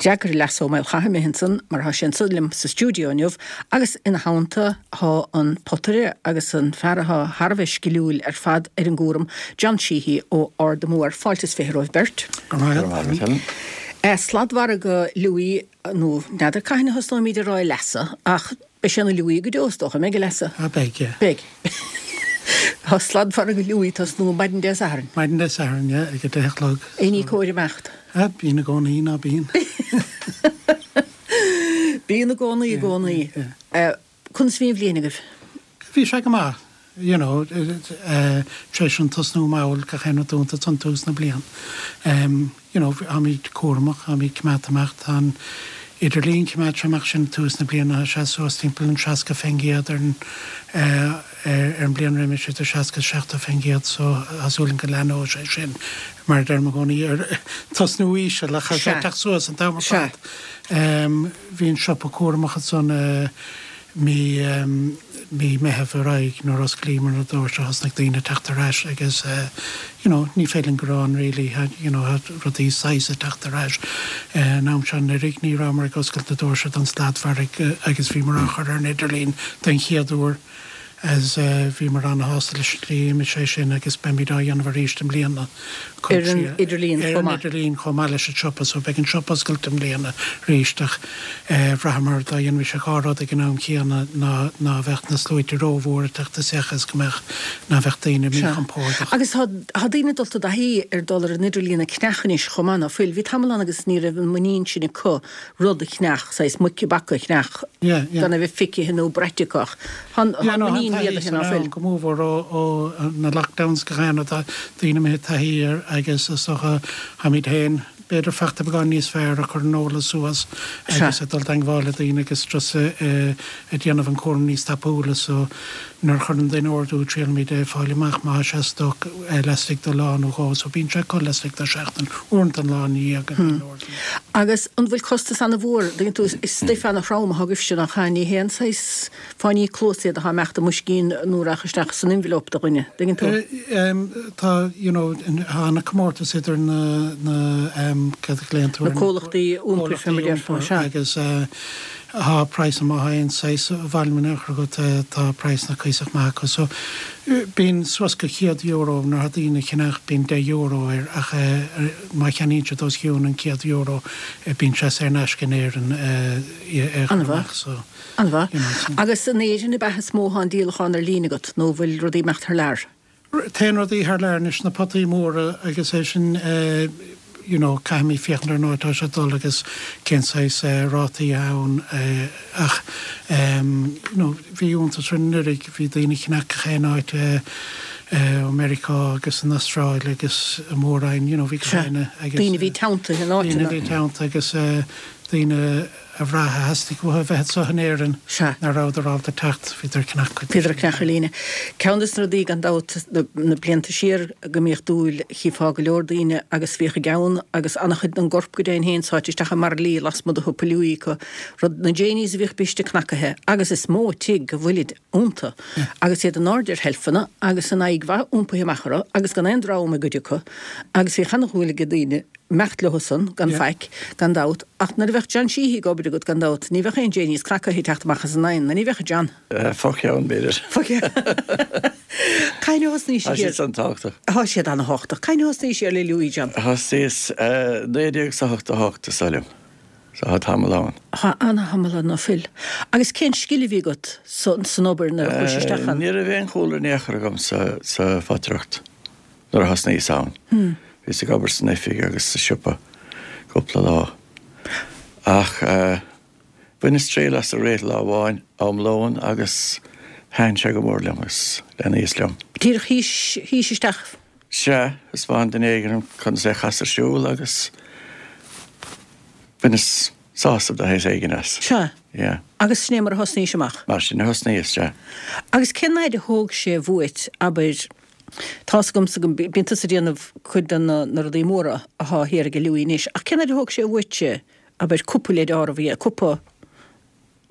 D'fhreagair Leasa Ó Maolchatha imithe ansan mar thá sé anso liom sa stiúideo inniu agus ina theannta thá an potaire agus an fear athá thar a bheith sciliúil ar fad ar an gcúram, John Sheehy ó Ard an Mhóir. Fáilte is 20 romhaibh beirt. Go raibh maith agat, Helen. Sladmhargadh Louis, nó n'fheadar cathain a thosnóimíd ag rá a Leasa, ach beidh sé ina Louis go deo is dócha, an mbeidh a Leasa? Ah beidh, yeah. Beidh. Tá sladmhargadh Louis ag tosnú maidin Dé Sathairn. Maidin Dé Sathairn, yeah, ag a deich a chlog. Éinní cóir imeacht? Ah, bíonn i gcónaí, ná bíonn? Bíonn i gcónaí, i gcónaí. Conas a bhí an bhliain agaibh? Bhí sé go maith, you know, tar éis an tosnú mall gach aon rud dúnta ansan tús na bliana. You know, táimid cúramach, táimid coimeádta amach, tá an idirlíon choimeád sé amach sin tús na bliana, tá sé suas timpeall an 60% ar an ar an bliain roimis, idir 60 is 70%, so tá súil agam go leathnóidh sé sin, mar a deirim i gcónaí, ar tosnú íseal ach tá sé ag teacht suas an t-am ar fad. Bhí an siopa cúramach ansan mí mí Meitheamh ar aghaidh nuair a osclaíomar na doirse thosnaigh daoine ag teacht ar ais agus you know ní féidir linn gearán really you know rudaí saghas ag teacht ar ais. An am seo anuraidh ní rabhamar ag oscailt na doirse don sladmhargadh agus bhíomar á chur ar an idirlíon den chéad uair. As bhíomar ana-shásta leis an tslí a d'imigh sé sin agus beimid á dhéanamh arís i mbliana. Ar an idirlíon chomh maith. Ar an idirlíon chomh maith leis an siopa. So beidh an siopa oscailte i mbliana arís ach bhraitheamar dá dhéanfaimis an dhá rud ag an am chéanna ná ná bheadh na sluaite rómhór ag teacht isteach is go mbeadh ná bheadh daoine míchompordach. Agus tá tá daoine dulta i dtaithí ar dul ar an idirlíon ag ceannach anois chomh maith ná fuil? Bhí tamall ann agus ní raibh an muinín sin acu rud a cheannach, saghas muic i bpaca a cheannach gan a bheith feicthe nó braite acu ach tá an muinín méadaithe ná fuil? Go mórmhór ó na lockdowns go háirithe tá daoine imithe i dtaithí air agus is dócha táimid féin b'fhéidir fachta beagán níos fearr ag cur an eolas suas agus ag dul i dteangmháil le daoine agus just ag déanamh an cúram níos tapúla so Nuair a chuireann duine ordú triailimid é a fáil amach má tá sé i stoc laistigh de lá nó dhó so bíonn sé acu laistigh de sheachtain, uaireanta an lá ina dhiaidh go mbíonn ordú. Agus an bhfuil costas ana-mhór, dtuigeann tú, is stuif ana-throm atá agaibhse nach ea, ní haon saghas fáinní cluasa iad atá ag imeacht i mboiscín nó a rachaidh isteach san envelope do dhuine, dtuigeann tú? Tá, you know, tá ana-comórtas idir na, na, cad a ghlaonn tú ar na. Na comhlachtaí iompair fé mar a déarfá, sea. Agus Tá praghsanna má tá aon saghas volume in aon chor agat tá praghsanna cuíosach maith acu. So bíonn suas go €100 nuair atá daoine ag ceannach bíonn €10 air ach má cheannaíonn siad os cionn an €100 bíonn sé saor in aisce in Éirinn é a chur amach so An-mhaith. you know so. Agus in Éirinn ab ea is mó atá an díolachán ar líne agat nó bhfuil rudaí ag imeacht thar lear? Téann rudaí thar lear anois, na potaí móra agus é sin you know caithfimid féachaint ar an áit atá sé ag dul agus cén saghas rátaí atá ann ach you know bhí iontas orainn anuraidh, bhí daoine ag ceannach gach aon áit ó Meiriceá agus an Astráil agus an Mhór-Roinn you know bhí gach éinne agus Daoine a bhí teanntaithe in áiteanna. Daoine a bhí teanntaithe agus daoine a bhraith a theastaigh uathu a bheith anseo in Éirinn nach rabhadar ábalta teacht, bhíodar ag ceannach cuid de Bhíodar ag ceannach ar líne. Ceann de na rudaí, gan dabht, na blianta siar go mbíodh dúil, chífeá go leor daoine agus bhíodh a gceann agus an-chuid den gcorp go deimhin féin sáite isteach i mbairillí lasmuigh de shiopa Louis acu, rud, na Janies a bhíodh briste cnacaithe agus is mó tigh go bhfuilid iontu agus iad in airde ar sheilfeanna agus an aghaidh mhaith iompaithe amach orthu agus gan aon dram i gcuid acu agus bhíodh ana-dhúil ag daoine imeacht leo san, gan faic, gan dabht, ach nuair a bheadh John Sheehy ag obair agat, gan dabht, ní bheadh aon Janies cnacaithe ag teacht amach as an oigheann, nó ní bheadh, a John? Fo-cheann, b'fhéidir. Fo-cheann. Cathain a thosnaís Tá siad san tábhachtach. Tá siad ana-thábhachtach. Cathain a thosnaís ar le Louis, John? Thosaíos 1988, is dóigh liom. So tá tamall ann. Tá ana-thamall ann, ná fuil. Agus cén scil a bhí agat san obair nuair a chuais isteach ann? Ní raibh aon chúlra in aon chor agam sa photaireacht. Nuair a thosnaíos ann, bhíos ag obair san oifig agus sa siopa cúpla lá. Ach bhaineas triail as ag rith lá amháin am lóin agus thaitin sé go mór liom agus leanaíos liom. Díreach shuís, shuís isteach. Sea, thaispeáin duine éigin dom conas é a chasadh ar siúl agus bhaineas sásamh de shaghas éigin as. Sea. Yeah. Agus sin é mar a thosnaís amach. Mar sin a thosnaíos, sea. Agus cén fhaid a thóg sé uait, abair, Tá's agamsa go mbíonn tusa ag déanamh cuid de na rudaí móra athá thiar ag Louis anois, ach cén fhaid a thóg sé uaitse, abair, cupa leid áireamh a dhéanamh, cupa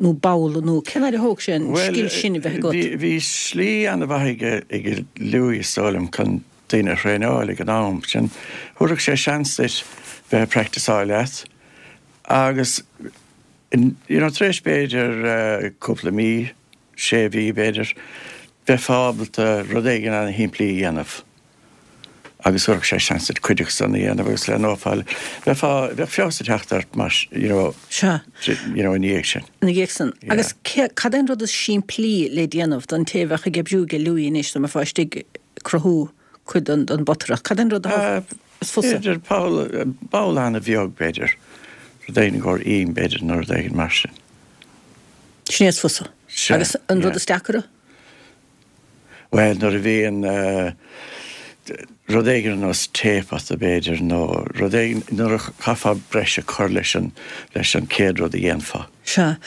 nó babhla nó cén fhaid a thóg sé an scil sin a bheith agat? Bhuel, bhí slí an-mhaith ag Louis, is dóigh liom, chun daoine a thraenáil ag an am sin. Thabharfadh sé seans duit bheith ag practiceáil leat. Agus you know tar éis b'fhéidir cúpla mí, sé mhí b'fhéidir, bheifeá ábalta rud éigin ana-shimplí a dhéanamh agus thabharfadh sé seans duit cuid acu san a dhéanamh agus leathnófá, bheifeá, bheadh feabhas ag teacht ort mar, you know, Sea. you know, ina dhiaidh sin. Ina dhiaidh san. Yeah. Agus cé, cad é an rud is simplí le déanamh don té a bheadh ag oibriú ag Louis anois dá mbeifeá istigh ag cruthú cuid den, den bpotaireacht? Cad é an rud a is fusa? B'fhéidir poll, ball ana-bheag b'fhéidir, rud éigin i gcomhair im b'fhéidir nó rud éigin mar sin. Sin é is fusa. Sea, Agus an rud yeah. is deacaire? Bhuel, nuair a bhíonn rud éigin ar nós taephota b'fhéidir nó rud éigin, nuair a chaithfeá breis a chur leis an, leis an chéad rud a dhéanfá. Sea.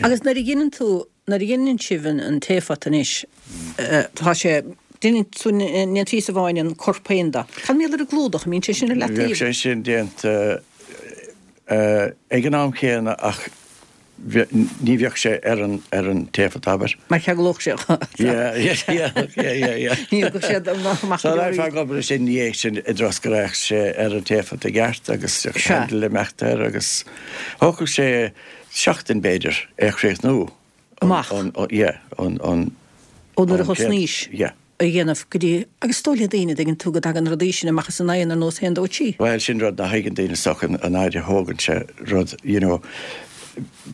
Agus nuair a dheineann tú, nuair a dheineann sibh an, an taephota anois, tá sé, deineann tú, ndéanann píosa amháin an corp féin de. Cad mar gheall ar an gclúdach, an mbíonn sé sin ar leataobh? Bheadh sé sin déanta ag an am chéanna ach ní bheadh sé ar an ar an taephota, abair. Mar cheanglódh sé Yeah, yeah, yeah, yeah, yeah, yeah. Ní thógfadh sé amach So bheifeá ag obair sin ina dhiaidh sin i dtreo is go raghadh sé ar an taephota i gceart agus handle imeacht air agus thógfadh sé seachtain b'fhéidir é a chríochnú. Amach. Yeah, ón, ón. Ó nuair a thosnaís. Yeah. a dhéanamh go dtí, agus is dóigh le daoine, dtuigeann tú, go dtagann rudaí sin amach as an oigheann ar nós haon dó trí. Bhuel, sin rud nach thuigeann daoine is dócha, an fhaid a thógann sé rud, you know,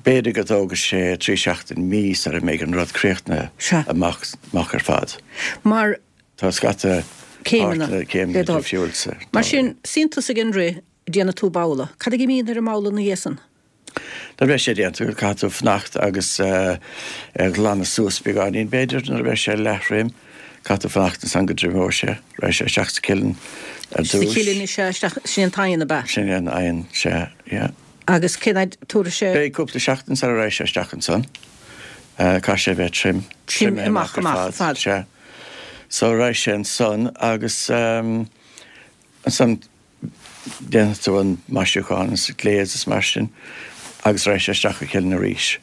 b'fhéidir go dtógfaidh sé trí seachtain, mí sara mbeidh an rud críochnaithe Sea. amach, amach ar fad. Mar. Tá scata Céimeanna páirteanna, le céimeanna dul. difriúil sa. Mar sin, suíonn tusa ag an rith, déanann tú babhla. Cad a imíonn ar an mbabhla ina dhiaidh san? Nuair a bheidh sé déanta, caithfidh tú fanacht agus é a ghlanadh suas beagáinín, b'fhéidir, nuair a bheidh sé leath-throim. Caithfidh tú fanacht ansan go dtriomóidh sé. Raghaidh sé isteach sa chillin ar Sa dtús. chillin is ea, isteach, sin é an t-oigheann, ab ea? Sin é an oigheann, sea, yeah. Agus cén fhaid tabharfaidh sé? Beidh cúpla seachtain sara raghaidh sé isteach ansan. Caithfidh sé a bheith trim. Trim amach, amach ar fad. Sea. So raghaidh sé ansan agus ansan Déanfaidh tú an maisiúchán is glaze is mar sin agus raghaidh sé isteach sa chillin arís.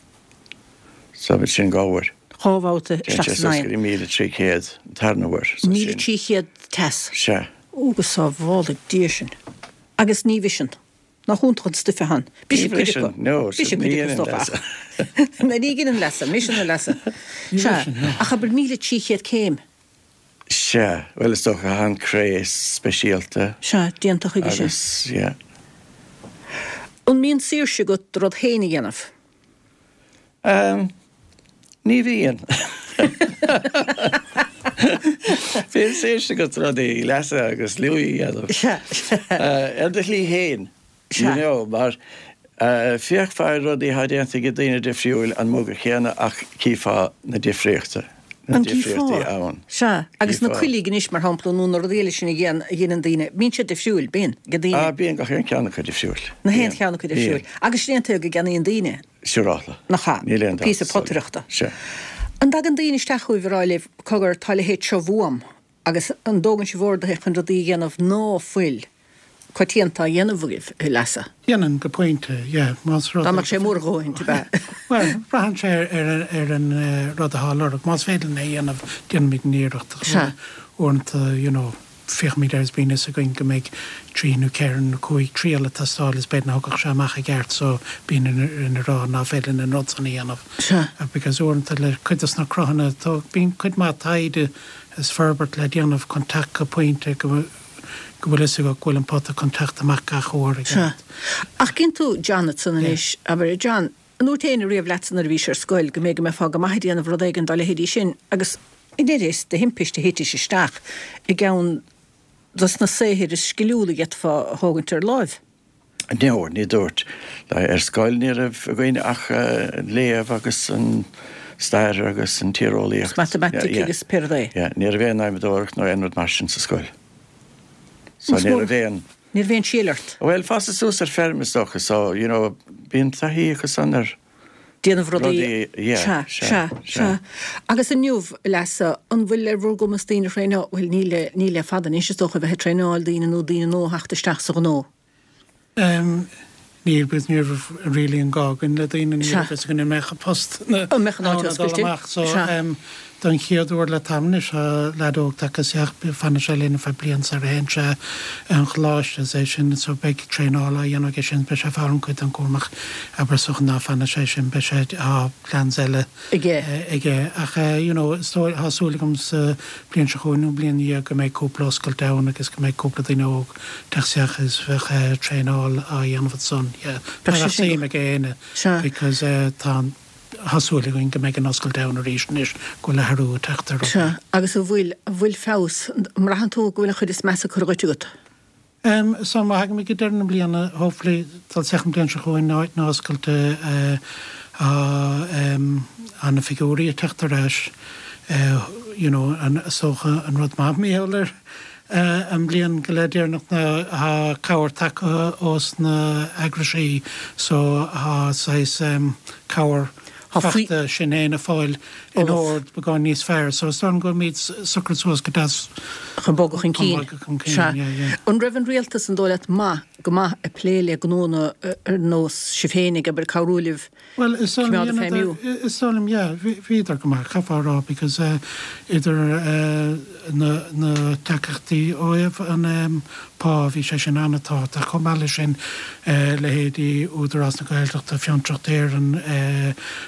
So sin dhá uair. Dhá bhabhta Téann isteach sé san suas go oigheann. dtí 1,300 an tarna huair. So sin. 1,300 teas. Sea. Ó go sábhála Dia sinn. Agus ní bhriseann. Nach iontach an stuif atá ann. Ní Briseann cuid acu. bhriseann, no. Briseann Ní cuid acu is dheineann dócha leasa. ach. Ní dheineann leasa, mbriseann a leasa. Ní Sea. bhriseann, no. Ach abair 1,300 céim. Sea, bhuel is dócha tá an cré speisialta. Sea, déanta chuige sin. Agus, yeah. An mbíonn saoirse agat do rud féin a dhéanamh? Ehm, ní bhíonn. Bíonn saoirse agat rudaí a lasadh agus luí a dhéanamh. Sea, sea. Ar do shlí féin. Sea. You know, mar féachfá ar rudaí atá déanta ag daoine difriúil an muga chéanna ach cífeá na difríochta, na An difríochtaí gcífeá? ann. Sea. Agus na Cífeá. coiligh anois, mar shampla, nó na rudaí eile sin a dhéan, a dheineann daoine, bíonn siad difriúil, bíonn, ag daoine. Ah, bíonn gach aon cheann acu difriúil. Na haon Bíonn. cheann acu difriúil. Bíonn. Agus sin é an tuige go gceannaíonn daoine. Siúráilte. Nach ea? Níl aon dabht. Píosa potaireachta. Sea. An dtagann daoine isteach chugaibh a rá libh, cogar, tá a leithéid seo uaim, Agus an dtógann sibh orduithe chun rudaí a dhéanamh ná fuil coitianta á dhéanamh agaibh, a Leasa? Déanann, go pointe, yeah. Más rud Dá é mbeadh sé mór a dhóthain, ab ea? Bhuel, braitheann sé ar an rud atá á lorg. Más féidir linn é a dhéanamh, déanaimid an iarracht. Sea. Uaireanta, you know, féachaimid air is bíonn fhios againn go mbeidh trí nó ceithre nó cúig triail ag teastáil is b'fhéidir nach dtiocfadh sé amach i gceart so bíonn orainn a rá ná féidir linn an rud san a dhéanamh. Sea. Because uaireanta le cuid dos na cruthanna, bíonn cuid mhaith taighde is forbairt le déanamh chun teacht go pointe go go bhfuil fhios agat go bhfuil an pota chun teacht amach gach uair i Sea. gceart. Ach cíonn tú John ansan anois, abair, John, an ndúirt éinne riamh leatsa nuair a bhís ar scoil go mb'fhéidir go mbeifeá go maith ag déanamh rud éigin dá leithéidí sin agus i ndeireadh is de thimpiste a thitis isteach i gceann dos na saothair is sciliúla a d'fhéadfá a thógaint ar láimh? No, ní dúirt. Ar scoil ní raibh againn ach léamh agus an stair agus an tíreolaíocht. Agus matamaitic agus pé rud é. Yeah, ní raibh aon adhmadóireacht nó aon rud mar sin sa scoil. So ní raibh aon. Ní raibh aon síol ort. Bhuel, fásadh suas ar feirm is dócha, so, you know, bíonn taithí acu san ar. déanamh rudaí. Rudaí, yeah, Sea, sea, sea. Agus inniu, a Leasa, an bhfuil ar bhur gcumas daoine a thraenáil, bhuel, níl le, níl le fada anois, is dócha, a bheith ag traenáil daoine nó daoine nua a theacht isteach sa ghnó? Em, níl, because ní raibh really an gá againn le daoine, ní raibh fhios againn an mbeadh an post An mbeadh an áit ann a dul oscailte? amach, so, Sea. em, Don chéad uair le tamall anois tá leaid óg tagtha isteach, fanfaidh sé linn ar feadh bliain sar a théann sé 'un choláiste, is é sin, so beidh traenáil á dhéanamh aige sin, beidh sé ag foghlaim cuid den chúram ach abair is dócha ná fanfaidh sé sin, beidh sé, tá plans eile aige. aige. Ach you know, is dóigh, tá súil agam sa bliain seo chugainn nó bliain ina dhiaidh go mbeidh cúpla oscailt ann agus go mbeidh cúpla duine óg teacht isteach is bheadh traenáil á dhéanamh ansan, yeah. Bheadh sé sin go. Suim ag éinne because tá an. Tá súil againn go mbeidh an oscailt ann arís anois go bhfuil athrú ag teacht ar rudaí. Sea, agus an bhfuil, an bhfuil feabhas, an mbraitheann tú go bhfuil an chuid is measa curtha dhuit agat? Em, so má thagaimid go deireadh na bliana, hopefully, dul isteach an bliain seo chugainn, áit na oscailte, eh, tá, em, tá na figiúirí ag teacht ar ais, eh, you know, an, is dócha an rud maith mar gheall ar, An bhliain go leith deireanach ná tá cabhair tagtha ós na eagraisí so tá saghas cabhair fachta sinn fhéin ag fáil in ord beagán níos fearr so is dóigh liom go bhfuilimid socraithe suas go deas chun bogadh chun cinn. Chun bogadh chun cinn, yeah, yeah. An raibh an rialtas an dóigh leat maith go maith ag plé le gnóanna ar nós sibh féin ag obair cabhrú libh Bhuel, is dóigh coimeád liom, ag feidhmiú. is dóigh liom, yeah, bhíodar go maith, chaithfeá a rá, because idir na, na tacaíochtaí ó thaobh an pá, bhí sé sin an-tábhachtach, chomh maith leis sin, leithéidí Údarás na Gaeltachta, Fiontraíocht Éireann,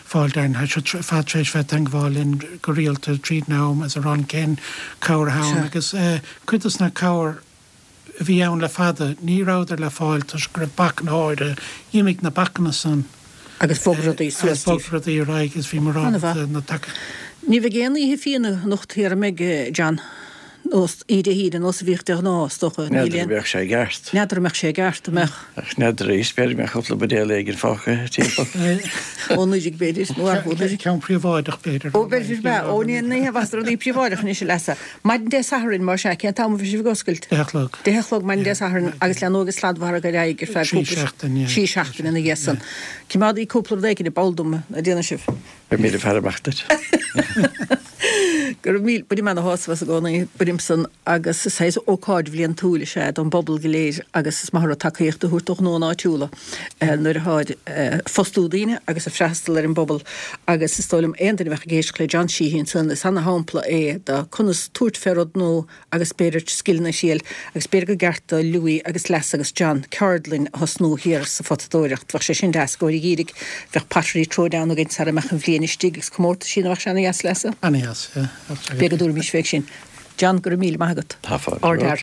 Fáilte Éireann, tá siad ar fad tar éis bheith i dteangmháil linn go rialta tríd an am is a rá cén cabhair atá ann agus cuid dos na cabhair, a bhí ann le fada, ní rabhadar le fáil toisc go raibh bacanna áirithe. D'imigh na bacanna san. Agus bhog rudaí suas Agus bhog rudaí ar aghaidh agus bhíomar ábalta na taca. Ní bheidh aon oíche fíona anocht thiar, an mbeidh, John? Nós, oíche Dé hAoine, nós a bhíodh de ghnáth, is dócha. Níl N'fheadar an mbeadh sé i gceart. N'fheadar an mbeadh sé i gceart, an mbeadh? Ach n'fheadar arís, b'fhéidir go mbeadh cúpla buidéal éigin fágtha timpeall. Ó Nollaig, b'fhéidir, nó ar Nollaig. Ceann príobháideach, b'fhéidir. Ó, b'fhéidir, b'ea. Ó, ní hé rudaí príobháideach anois, a leasa. Maidin Dé Sathairn, más ea, cén t-am a bheidh sibh ag oscailt? Deich a chlog. Deich a chlog maidin Dé Sathairn agus leanóidh an sladmhargadh ar aghaidh ar feadh cúpla. Trí seachtaine, yeah. Trí seachtaine ina dhiaidh san. Coimeádaigí cúpla rud éigin i bpoll dom, an ndéanfaidh sibh? Beimid ag faire amach duit. Go raibh míle, bainim ana-shásamh as i gcónaí, bainim san agus is saghas ócáid bhliantúil is ea don bpobal go léir agus is maith an rud tacaíocht a thabhairt do ghnóanna áitiúla nuair atáid ag fostú daoine agus ag freastal ar an bpobal agus is dóigh liom aon duine a bheadh ag éisteacht le John Sheehy ansan is ana-shampla é de conas tabhairt fé rud nua agus b'fhéidir scileanna a thriail agus b'fhéidir gur gceart do Louis agus Leasa agus John ceardlann a thosnú thiar sa photadóireacht. Bheadh sé sin deas i gcomhair an gheimhridh. Bheadh pottery throwdown againn sara mbeadh an bhliain istigh agus comórtaisí nó bheadh sé ana-dheas Leasa? Ana-dheas, yeah. B'fhéidir go dtabharfaimis fé sin. John, go raibh míle maith agat. Tá fáilte romhat.